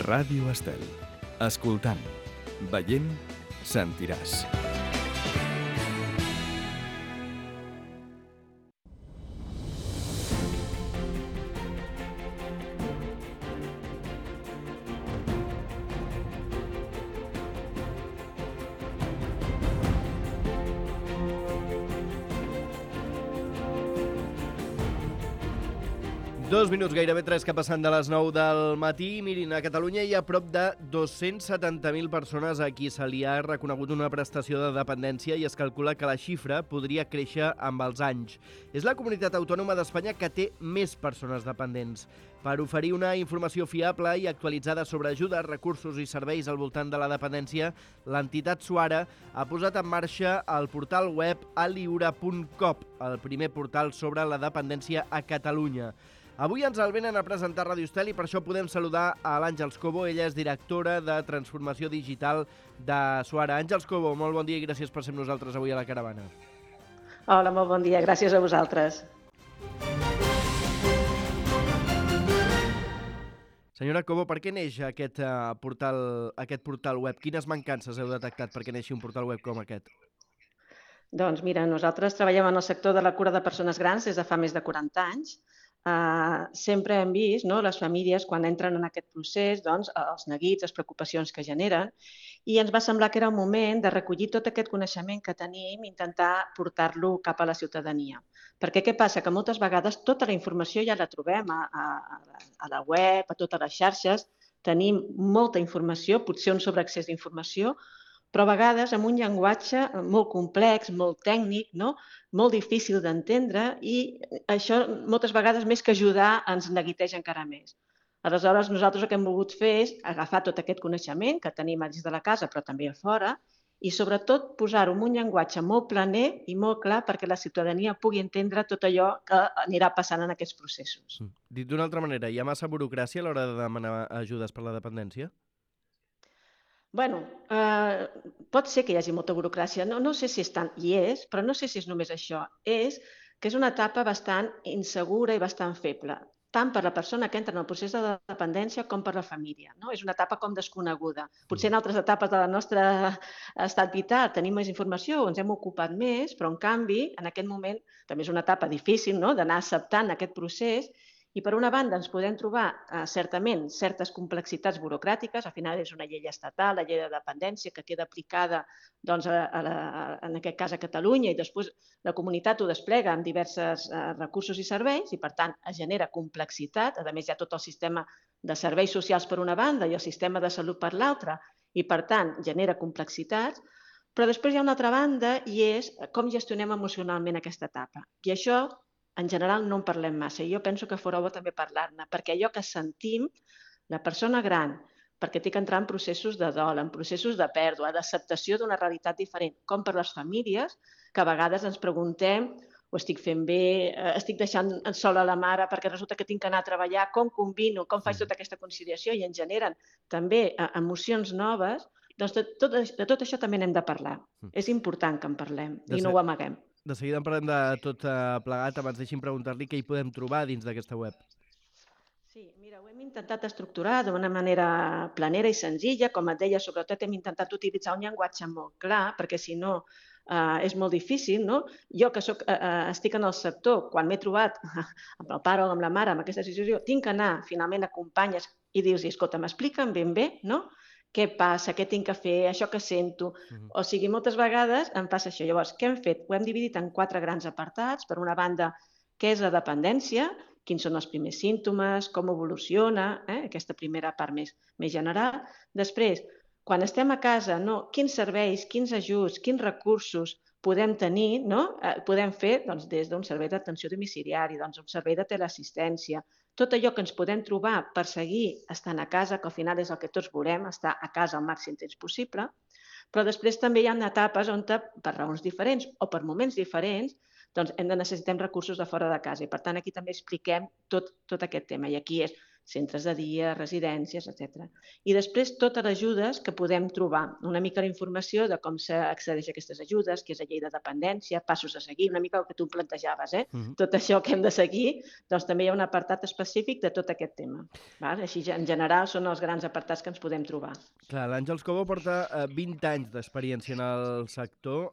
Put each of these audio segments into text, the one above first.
Ràdio Estel. Escoltant, veient, sentiràs. Dos minuts, gairebé 3 que passen de les 9 del matí. Mirin, a Catalunya hi ha prop de 270.000 persones a qui se li ha reconegut una prestació de dependència i es calcula que la xifra podria créixer amb els anys. És la comunitat autònoma d'Espanya que té més persones dependents. Per oferir una informació fiable i actualitzada sobre ajudes, recursos i serveis al voltant de la dependència, l'entitat Suara ha posat en marxa el portal web aliura.cop, el primer portal sobre la dependència a Catalunya. Avui ens el venen a presentar a Ràdio Estel i per això podem saludar a l'Àngels Cobo. Ella és directora de Transformació Digital de Suara. Àngels Cobo, molt bon dia i gràcies per ser amb nosaltres avui a la caravana. Hola, molt bon dia. Gràcies a vosaltres. Senyora Cobo, per què neix aquest portal web? Quines mancances heu detectat perquè neixi un portal web com aquest? Doncs mira, nosaltres treballem en el sector de la cura de persones grans des de fa més de 40 anys. Sempre hem vist, no, les famílies quan entren en aquest procés, doncs, els neguits, les preocupacions que generen, i ens va semblar que era un moment de recollir tot aquest coneixement que tenim i intentar portar-lo cap a la ciutadania. Perquè què passa? Que moltes vegades tota la informació ja la trobem a la web, a totes les xarxes, tenim molta informació, potser un sobreaccés d'informació, però a vegades amb un llenguatge molt complex, molt tècnic, no? Molt difícil d'entendre i això moltes vegades més que ajudar ens neguiteja encara més. Aleshores nosaltres el que hem volgut fer és agafar tot aquest coneixement que tenim dins de la casa però també a fora i sobretot posar-ho en un llenguatge molt planer i molt clar perquè la ciutadania pugui entendre tot allò que anirà passant en aquests processos. Dit d'una altra manera, hi ha massa burocràcia a l'hora de demanar ajudes per la dependència? Bueno, pot ser que hi hagi molta burocràcia, no sé si és tant, hi és, però no sé si és només això. És que és una etapa bastant insegura i bastant feble, tant per la persona que entra en el procés de dependència com per la família. No? És una etapa com desconeguda. Potser en altres etapes del nostre estat vital tenim més informació, ens hem ocupat més, però en canvi, en aquest moment, també és una etapa difícil, no?, d'anar acceptant aquest procés. I per una banda ens podem trobar certament certes complexitats burocràtiques, al final és una llei estatal, la llei de dependència, que queda aplicada doncs, en aquest cas a Catalunya i després la comunitat ho desplega amb diversos recursos i serveis i per tant es genera complexitat, a més hi ha tot el sistema de serveis socials per una banda i el sistema de salut per l'altra i per tant genera complexitats, però després hi ha una altra banda i és com gestionem emocionalment aquesta etapa. I això en general no en parlem massa i jo penso que fora bo també parlar-ne, perquè allò que sentim, la persona gran, perquè té que entrar en processos de dol, en processos de pèrdua, d'acceptació d'una realitat diferent, com per les famílies, que a vegades ens preguntem ho estic fent bé, estic deixant sola la mare perquè resulta que tinc que anar a treballar, com combino, com faig tota aquesta conciliació i ens generen també emocions noves, doncs de tot això també n'hem de parlar. És important que en parlem i no ho amaguem. De seguida en parlem de tot plegat. Abans deixi'm preguntar-li què hi podem trobar dins d'aquesta web. Sí, mira, ho hem intentat estructurar d'una manera planera i senzilla. Com et deia, sobretot hem intentat utilitzar un llenguatge molt clar, perquè si no és molt difícil, no? Jo que estic en el sector, quan m'he trobat amb el pare o amb la mare amb aquesta situació, tinc que anar finalment a companyes i dir-los, escolta, m'expliquen ben bé, no?, què passa, què tinc que fer, això que sento. O sigui, moltes vegades em passa això. Llavors, què hem fet? Ho hem dividit en 4 grans apartats. Per una banda, què és la dependència, quins són els primers símptomes, com evoluciona, aquesta primera part més general. Després, quan estem a casa, no? Quins serveis, quins ajuts, quins recursos podem tenir, no? Podem fer doncs, des d'un servei d'atenció domiciliari, doncs, un servei de teleassistència, tot allò que ens podem trobar per seguir estant a casa, que al final és el que tots volem, estar a casa el màxim temps possible, però després també hi ha etapes on, per raons diferents o per moments diferents, doncs necessitem recursos de fora de casa i per tant aquí també expliquem tot aquest tema i aquí és centres de dia, residències, etc. I després totes les ajudes que podem trobar, una mica la informació de com s'accedeix a aquestes ajudes, què és la llei de dependència, passos a seguir, una mica el que tu plantejaves, tot això que hem de seguir, doncs també hi ha un apartat específic de tot aquest tema. Així, en general, són els grans apartats que ens podem trobar. Clar, l'Àngels Cobo porta 20 anys d'experiència en el sector.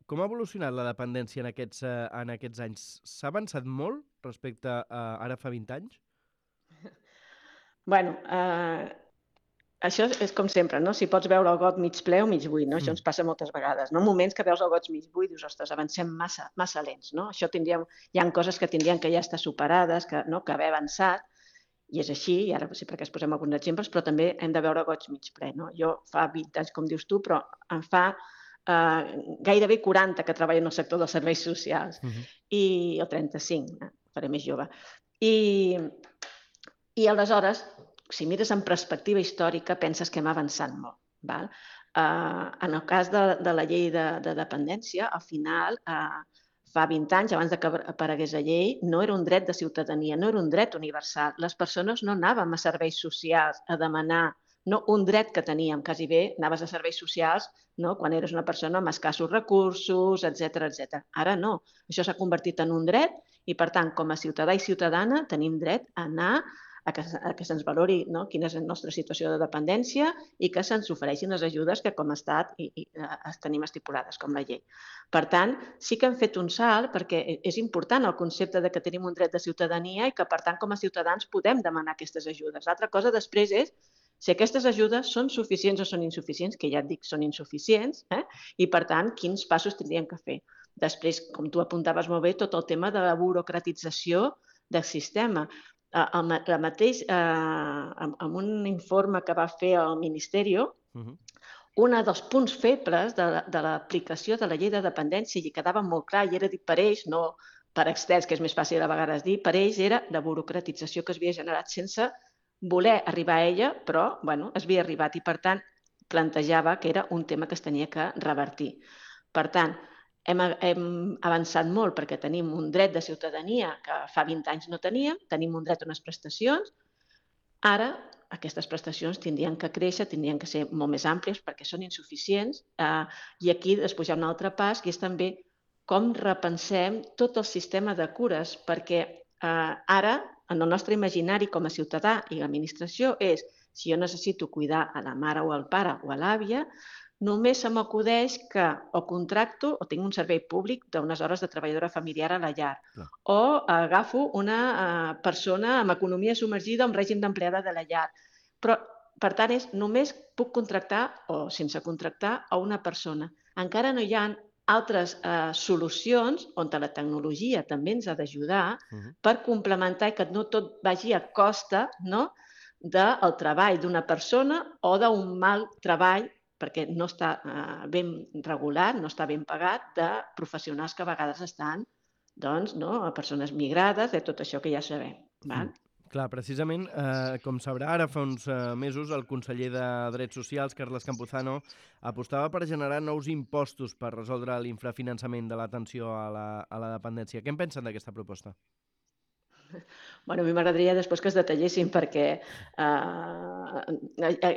Com ha evolucionat la dependència en aquests anys? S'ha avançat molt respecte a ara fa 20 anys? Bueno, això és com sempre, no? Si pots veure el got mig ple o mig buit, no? Això ens passa moltes vegades, no? Moments que veus el got mig buit i dius, ostres, avancem massa lents, no? Hi ha coses que tindrien que ja estar superades, que haver avançat, i és així, i ara sí perquè es posem alguns exemples, però també hem de veure goig mig ple, no? Jo fa 20 anys, com dius tu, però em fa gairebé 40 que treballo en el sector dels serveis socials, o 35, faré més jove. I aleshores, si mires en perspectiva històrica, penses que hem avançat molt. En el cas de la llei de dependència, al final, fa 20 anys, abans que aparegués la llei, no era un dret de ciutadania, no era un dret universal. Les persones no anàvem a serveis socials a demanar un dret que teníem, quasi bé anaves a serveis socials quan eres una persona amb escassos recursos, etc. Ara no, això s'ha convertit en un dret i, per tant, com a ciutadà i ciutadana tenim dret a anar a que se'ns valori quina és la nostra situació de dependència i que se'ns ofereixin les ajudes que com a estat tenim estipulades com la llei. Per tant, sí que hem fet un salt perquè és important el concepte de que tenim un dret de ciutadania i que, per tant, com a ciutadans podem demanar aquestes ajudes. L'altra cosa després és si aquestes ajudes són suficients o són insuficients, que ja et dic, són insuficients, i, per tant, quins passos tindríem que fer. Després, com tu apuntaves molt bé, tot el tema de la burocratització del sistema. En un informe que va fer el Ministeri, un dels punts febles de l'aplicació de la llei de dependència, i quedava molt clar, i era dit per ells, no per experts, que és més fàcil a vegades dir, per ells era la burocratització que s'havia generat sense voler arribar a ella, però es havia arribat i, per tant, plantejava que era un tema que es tenia que revertir. Per tant, hem avançat molt perquè tenim un dret de ciutadania que fa 20 anys no tenim un dret a unes prestacions. Ara, aquestes prestacions tindrien que créixer, tindrien que ser molt més àmplies perquè són insuficients. I aquí després hi ha un altre pas, que és també com repensem tot el sistema de cures, perquè ara, en el nostre imaginari com a ciutadà i l'administració és, si jo necessito cuidar a la mare o al pare o a l'àvia, només se m'acudeix que o contracto o tinc un servei públic d'unes hores de treballadora familiar a la llar, o agafo una persona amb economia submergida o amb règim d'empleada de la llar. Però, per tant, només puc contractar o sense contractar a una persona. Encara no hi ha altres solucions on la tecnologia també ens ha d'ajudar per complementar i que no tot vagi a costa del treball d'una persona o d'un mal treball perquè no està ben regulat, no està ben pagat, de professionals que a vegades estan a persones migrades, de tot això que ja sabem. Clar, precisament, com sabrà, ara fa uns mesos el conseller de Drets Socials, Carles Campuzano, apostava per generar nous impostos per resoldre l'infrafinançament de l'atenció a la dependència. Què en pensen d'aquesta proposta? A mi m'agradaria després que es detallessin perquè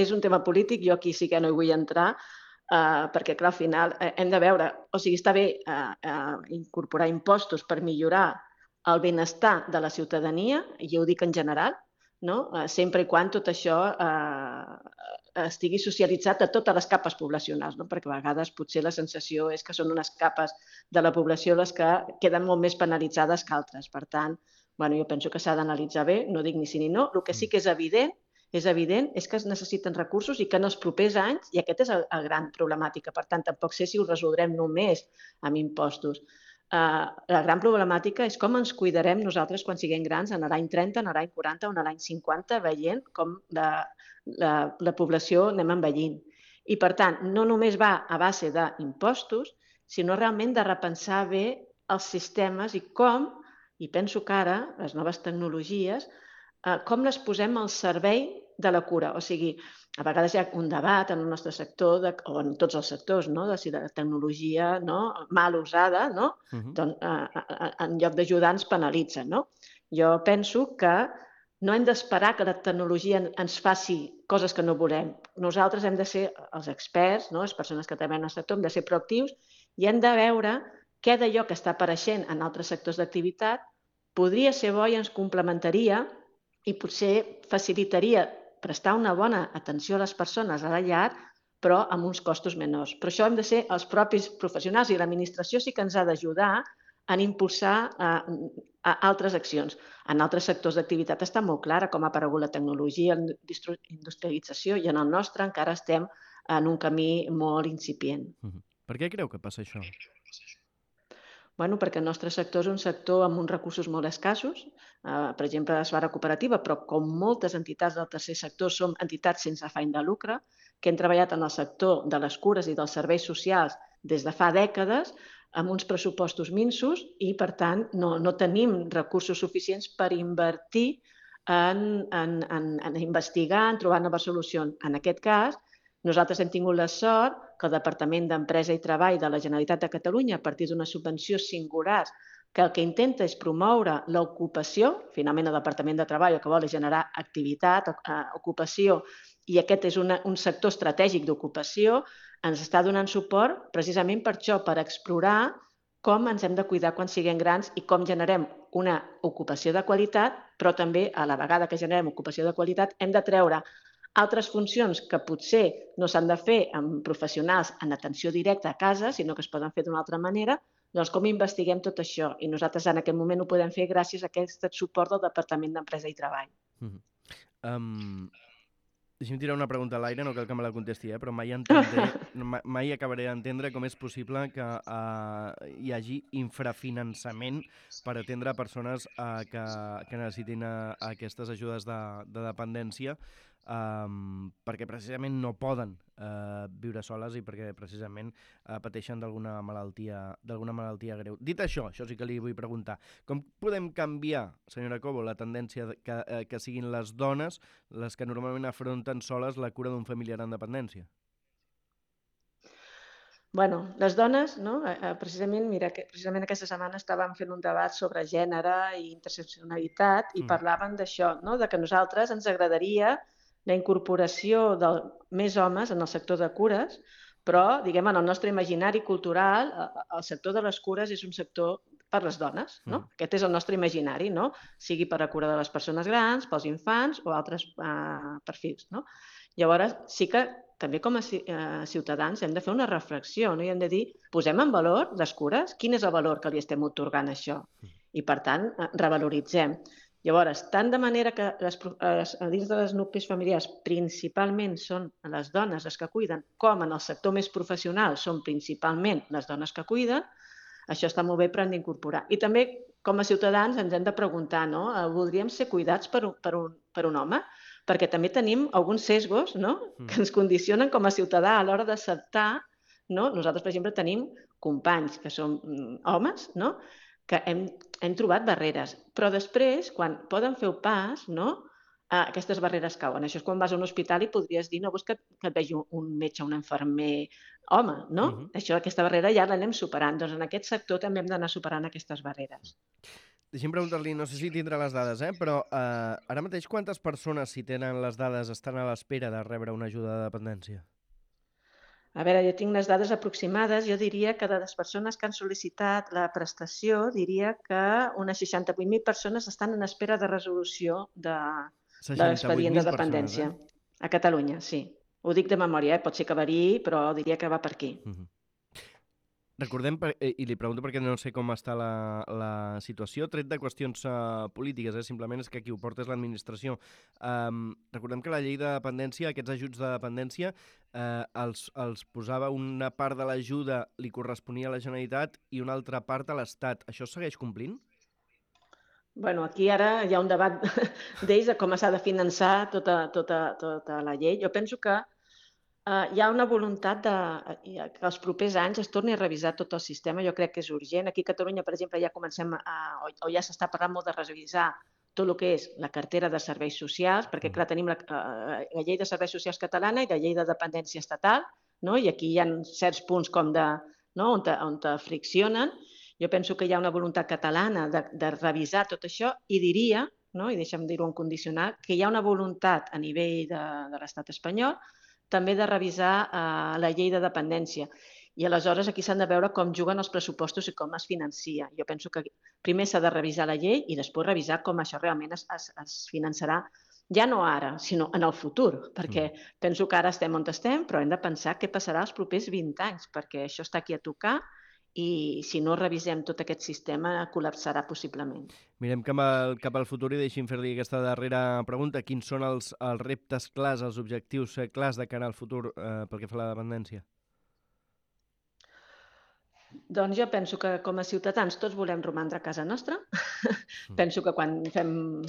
és un tema polític, jo aquí sí que no hi vull entrar, perquè, clar, al final hem de veure, o sigui, està bé incorporar impostos per millorar el benestar de la ciutadania, i jo ho dic en general, sempre i quan tot això estigui socialitzat a totes les capes poblacionals, perquè a vegades potser la sensació és que són unes capes de la població les que queden molt més penalitzades que altres. Per tant, jo penso que s'ha d'analitzar bé, no dic ni sí ni no. El que sí que és evident és que es necessiten recursos i que en els propers anys, i aquest és la gran problemàtica, per tant, tampoc sé si ho resoldrem només amb impostos. La gran problemàtica és com ens cuidarem nosaltres quan siguem grans en l'any 30, en l'any 40 o en l'any 50, veient com la població anem envellint. I, per tant, no només va a base d'impostos, sinó realment de repensar bé els sistemes i com, i penso que ara, les noves tecnologies, com les posem al servei de la cura. O sigui, a vegades hi ha un debat en el nostre sector, o en tots els sectors, de si la tecnologia mal usada, en lloc d'ajudar ens penalitza. Jo penso que no hem d'esperar que la tecnologia ens faci coses que no volem. Nosaltres hem de ser els experts, no? Les persones que treballen en el sector, hem de ser proactius i hem de veure què d'allò que està apareixent en altres sectors d'activitat podria ser bo i ens complementaria i potser facilitaria prestar una bona atenció a les persones a la llar, però amb uns costos menors. Però això hem de ser els propis professionals i l'administració sí que ens ha d'ajudar en impulsar altres accions. En altres sectors d'activitat està molt clara com ha aparegut la tecnologia, la industrialització, i en el nostre encara estem en un camí molt incipient. Per què creu que passa això? Bueno, perquè el nostre sector és un sector amb uns recursos molt escassos. Per exemple, Esbarra Cooperativa, però com moltes entitats del tercer sector, som entitats sense afany de lucre, que hem treballat en el sector de les cures i dels serveis socials des de fa dècades, amb uns pressupostos minsos i, per tant, no tenim recursos suficients per invertir en investigar, en trobar noves solucions. En aquest cas, nosaltres hem tingut la sort que el Departament d'Empresa i Treball de la Generalitat de Catalunya, a partir d'una subvenció singular, que el que intenta és promoure l'ocupació, finalment el Departament de Treball el que vol és generar activitat, ocupació, i aquest és un sector estratègic d'ocupació, ens està donant suport precisament per això, per explorar com ens hem de cuidar quan siguem grans i com generem una ocupació de qualitat, però també a la vegada que generem ocupació de qualitat hem de treure altres funcions que potser no s'han de fer amb professionals en atenció directa a casa, sinó que es poden fer d'una altra manera, doncs com investiguem tot això? I nosaltres en aquest moment ho podem fer gràcies a aquest suport del Departament d'Empresa i Treball. Deixa'm tirar una pregunta a l'aire, no cal que me la contesti, però mai acabaré d'entendre com és possible que hi hagi infrafinançament per atendre persones que necessitin aquestes ajudes de dependència, perquè precisament no poden viure soles i perquè precisament pateixen d'alguna malaltia greu. Dit això sí que li vull preguntar, com podem canviar, senyora Cobo, la tendència que siguin les dones les que normalment afronten soles la cura d'un familiar en dependència? Bueno, les dones, no? Precisament aquesta setmana estàvem fent un debat sobre gènere i interseccionalitat i parlaven d'això, no? De que a nosaltres ens agradaria la incorporació de més homes en el sector de cures, però, diguem, en el nostre imaginari cultural, el sector de les cures és un sector per les dones, no? Aquest és el nostre imaginari, no? Sigui per la cura de les persones grans, pels infants o altres perfils, no? Llavors, sí que també com a ciutadans hem de fer una reflexió, no? I hem de dir, posem en valor les cures? Quin és el valor que li estem atorgant a això? I, per tant, revaloritzem. Llavors, tant de manera que dins de les nuclis familiars principalment són les dones les que cuiden, com en el sector més professional són principalment les dones que cuiden, això està molt bé, però hem d'incorporar. I també, com a ciutadans, ens hem de preguntar, no? Voldríem ser cuidats per un home? Perquè també tenim alguns sesgos, no? Que ens condicionen com a ciutadà a l'hora d'acceptar, no? Nosaltres, per exemple, tenim companys que són homes, no? Que hem trobat barreres, però després, quan poden fer el pas, no? Aquestes barreres cauen. Això és quan vas a un hospital i podries dir no vols que et vegi un metge, un infermer home, no? Aquesta barrera ja l'anem superant. Doncs en aquest sector també hem d'anar superant aquestes barreres. Deixi'm preguntar-li, no sé si tindrà les dades, però ara mateix quantes persones, si tenen les dades, estan a l'espera de rebre una ajuda de dependència? A veure, jo tinc les dades aproximades. Jo diria que de les persones que han sol·licitat la prestació, diria que unes 68.000 persones estan en espera de resolució de l'expedient de dependència. A Catalunya, sí. Ho dic de memòria, pot ser que variï, però diria que va per aquí. Recordem, i li pregunto perquè no sé com està la situació, tret de qüestions polítiques, simplement és que qui ho porta és l'administració. Recordem que la llei de dependència, aquests ajuts de dependència, els posava una part de l'ajuda li corresponia a la Generalitat i una altra part a l'Estat. Això es segueix complint? Bueno, aquí ara hi ha un debat d'ells de com s'ha de finançar tota la llei. Jo penso que hi ha una voluntat que els propers anys es torni a revisar tot el sistema. Jo crec que és urgent. Aquí a Catalunya, per exemple, ja comencem o ja s'està parlant molt de revisar tot el que és la cartera de serveis socials, perquè, clar, tenim la llei de serveis socials catalana i la llei de dependència estatal, no? I aquí hi ha certs punts com on friccionen. Jo penso que hi ha una voluntat catalana de revisar tot això i diria no? I deixa'm dir-ho en condicionat, que hi ha una voluntat a nivell de l'estat espanyol també de revisar la llei de dependència. I aleshores aquí s'han de veure com juguen els pressupostos i com es financia. Jo penso que primer s'ha de revisar la llei i després revisar com això realment es finançarà, ja no ara, sinó en el futur, perquè penso que ara estem on estem, però hem de pensar què passarà els propers 20 anys, perquè això està aquí a tocar i si no revisem tot aquest sistema col·lapsarà possiblement. Mirem cap al futur i deixi'm fer-li aquesta darrera pregunta. Quins són els reptes clars, els objectius clars de cara al futur pel que fa a la dependència? Doncs jo penso que com a ciutadans tots volem romandre a casa nostra. Penso que quan fem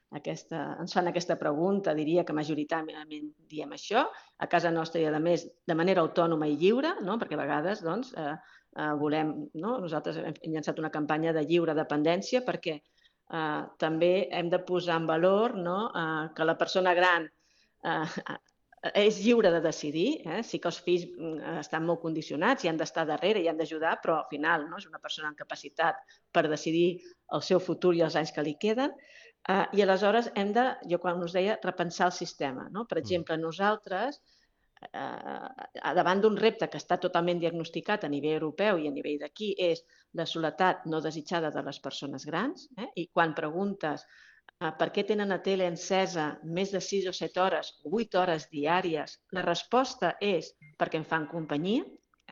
ens fan aquesta pregunta, diria que majoritàriament diem això, a casa nostra i, a més, de manera autònoma i lliure, no? Perquè a vegades volem, no? Nosaltres hem llançat una campanya de lliure dependència perquè també hem de posar en valor que la persona gran és lliure de decidir. Sí que els fills estan molt condicionats i han d'estar darrere i han d'ajudar, però al final és una persona amb capacitat per decidir el seu futur i els anys que li queden. I aleshores hem de, jo quan us deia, repensar el sistema. Per exemple, nosaltres, davant d'un repte que està totalment diagnosticat a nivell europeu i a nivell d'aquí, és la soledat no desitjada de les persones grans, i quan preguntes per què tenen la tele encesa més de 6 o 7 hores, 8 hores diàries, la resposta és perquè em fan companyia,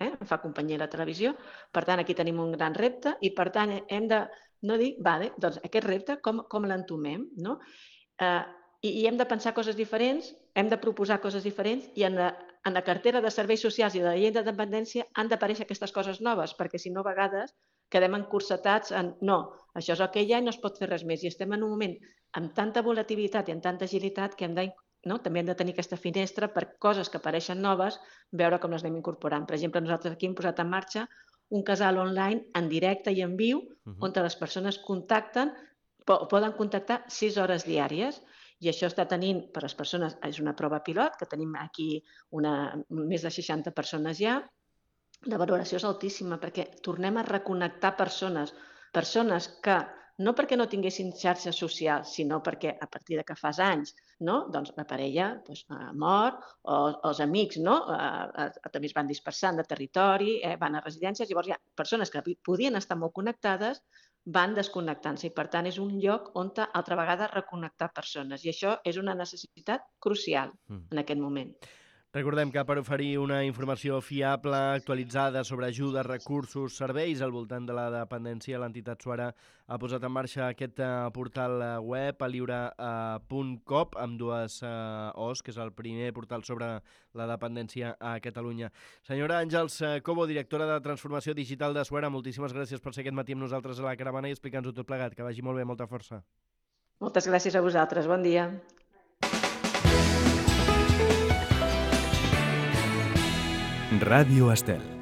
em fa companyia la televisió. Per tant, aquí tenim un gran repte i, per tant, hem de no dir, doncs aquest repte com l'entomem, no? I hem de pensar coses diferents, hem de proposar coses diferents i en la cartera de serveis socials i de la llei de dependència han d'aparèixer aquestes coses noves, perquè si no a vegades quedem encursetats en no, això és el que hi ha i no es pot fer res més. I estem en un moment amb tanta volatilitat i amb tanta agilitat que també hem de tenir aquesta finestra per coses que apareixen noves, veure com les anem incorporant. Per exemple, nosaltres aquí hem posat en marxa un casal online en directe i en viu, on les persones poden contactar 6 hores diàries. I això està tenint, per les persones, és una prova pilot, que tenim aquí més de 60 persones ja. La valoració és altíssima perquè tornem a reconnectar persones que no perquè no tinguessin xarxes socials, sinó perquè a partir que fas anys la parella mor o els amics també es van dispersant de territori, van a residències, llavors hi ha persones que podien estar molt connectades, van desconnectant-se i per tant és un lloc on altra vegada reconnectar persones i això és una necessitat crucial en aquest moment. Recordem que per oferir una informació fiable, actualitzada sobre ajudes, recursos, serveis al voltant de la dependència, l'entitat Suara ha posat en marxa aquest portal web, aliure.coop, amb 2 O's, que és el primer portal sobre la dependència a Catalunya. Senyora Àngels Cobo, directora de Transformació Digital de Suara, moltíssimes gràcies per ser aquest matí amb nosaltres a la Caravana i explicar-nos-ho tot plegat. Que vagi molt bé, molta força. Moltes gràcies a vosaltres. Bon dia. Ràdio Estel.